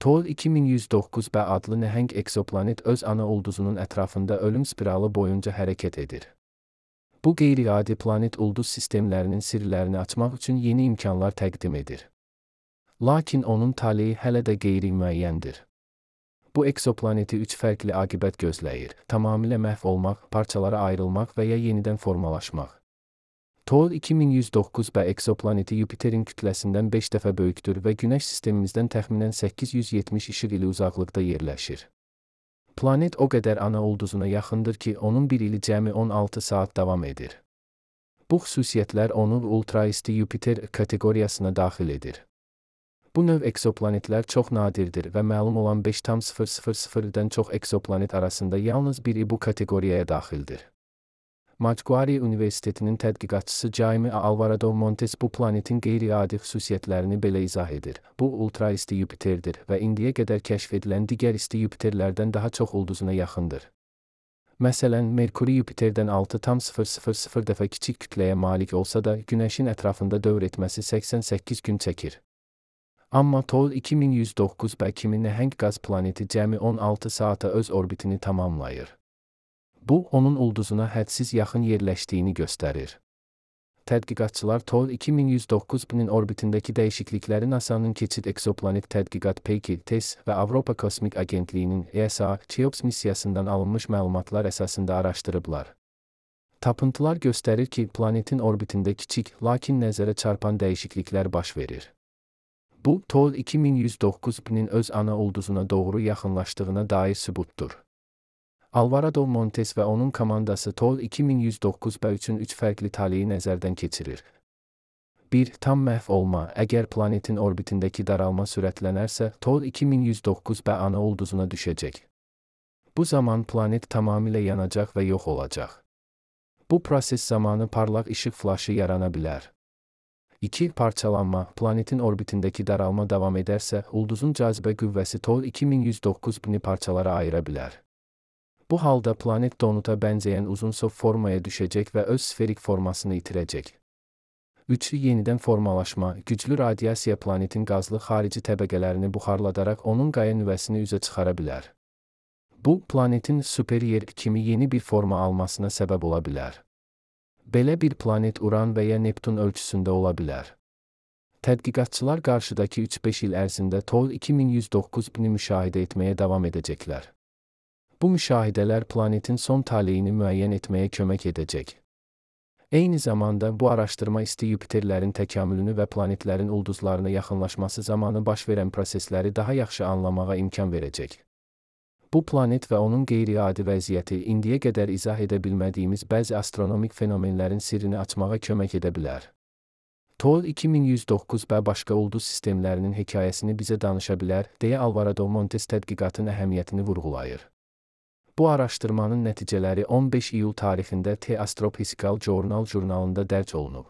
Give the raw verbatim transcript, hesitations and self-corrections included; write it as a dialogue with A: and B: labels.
A: Told iki min yüz doqquz b adlı nəhəng eksoplanet öz ana ulduzunun ətrafında ölüm spiralı boyunca hərəkət edir. Bu qeyri-adi planet ulduz sistemlərinin sirlərini açmaq üçün yeni imkanlar təqdim edir. Lakin onun taleyi hələ də qeyri-müəyyəndir. Bu eksoplaneti üç fərqli aqibət gözləyir: tamamilə məhv olmaq, parçalara ayrılmaq və ya yenidən formalaşmaq. Told iki min yüz doqquz b eksoplaneti Yupiterin kütləsindən beş dəfə böyükdür və Günəş sistemimizdən təxminən səkkiz yüz yetmiş işıq ili uzaqlıqda yerləşir. Planet o qədər ana ulduzuna yaxındır ki, onun bir ili cəmi on altı saat davam edir. Bu xüsusiyyətlər onu ultraisti Yupiter kateqoriyasına daxil edir. Bu növ eksoplanetlər çox nadirdir və məlum olan beş tam sıfır sıfır sıfırdan çox eksoplanet arasında yalnız biri bu kateqoriyaya daxildir. Macquarie Universitetinin tədqiqatçısı Jaime Alvarado Montes bu planetin qeyri-adi xüsusiyyətlərini belə izah edir. Bu ultraisti Yupiterdir və indiyə qədər kəşf edilən digər isti Yupiterlərdən daha çox ulduzuna yaxındır. Məsələn, Merkuri Yupiterdən altı tam sıfır sıfır sıfır dəfə kiçik kütləyə malik olsa da, Günəşin ətrafında dövr etməsi səksən səkkiz gün çəkir. Amma Told iki min yüz doqquz b kimi nəhəng qaz planeti cəmi on altı saata öz orbitini tamamlayır. Bu, onun ulduzuna hədsiz yaxın yerləşdiyini göstərir. Tədqiqatçılar Told iki min yüz doqquz b-nin orbitindəki dəyişiklikləri NASA'nın Keçid Eksoplanet Tədqiqat Peki T E S və Avropa Kosmik Agentliyinin E S A Cheops missiyasından alınmış məlumatlar əsasında araşdırıblar. Tapıntılar göstərir ki, planetin orbitində kiçik, lakin nəzərə çarpan dəyişikliklər baş verir. Bu, Told iki min yüz doqquz b-nin öz ana ulduzuna doğru yaxınlaşdığına dair sübutdur. Alvarado Montes və onun komandası Told iki min yüz doqquz b üçün üç fərqli taleyi nəzərdən keçirir. bir Tam məhv olma. Əgər planetin orbitindəki daralma sürətlənərsə, Told iki min yüz doqquz b ana ulduzuna düşəcək. Bu zaman planet tamamilə yanacaq və yox olacaq. Bu proses zamanı parlaq işıq flaşı yarana bilər. iki Parçalanma. Planetin orbitindəki daralma davam edərsə, ulduzun cazibə qüvvəsi Told iki min yüz doqquz b-ni parçalara ayıra bilər. Bu halda planet donuta bənzəyən uzun sov formaya düşəcək və öz sferik formasını itirəcək. üç Yenidən formalaşma. Güclü radiasiya planetin qazlı xarici təbəqələrini buxarladaraq onun qaya nüvəsini üzə çıxara bilər. Bu, planetin Super-Yer kimi yeni bir forma almasına səbəb ola bilər. Belə bir planet Uran və ya Neptun ölçüsündə ola bilər. Tədqiqatçılar qarşıdakı üç beş il ərzində Told iki min yüz doqquz b-ni müşahidə etməyə davam edəcəklər. Bu müşahidələr planetin son taleyini müəyyən etməyə kömək edəcək. Eyni zamanda bu araşdırma isti Yupiterlərin təkamülünü və planetlərin ulduzlarına yaxınlaşması zamanı baş verən prosesləri daha yaxşı anlamağa imkan verəcək. Bu planet və onun qeyri-adi vəziyyəti indiyə qədər izah edə bilmədiyimiz bəzi astronomik fenomenlərin sirrini açmağa kömək edə bilər. Told iki min yüz doqquz b başqa ulduz sistemlərinin hekayəsini bizə danışa bilər, deyə Alvarado Montes tədqiqatın əhəmiyyətini vurğulayır. Bu araşdırmanın nəticələri on beş iyul tarixində The Astrophysical Journal jurnalında dərc olunub.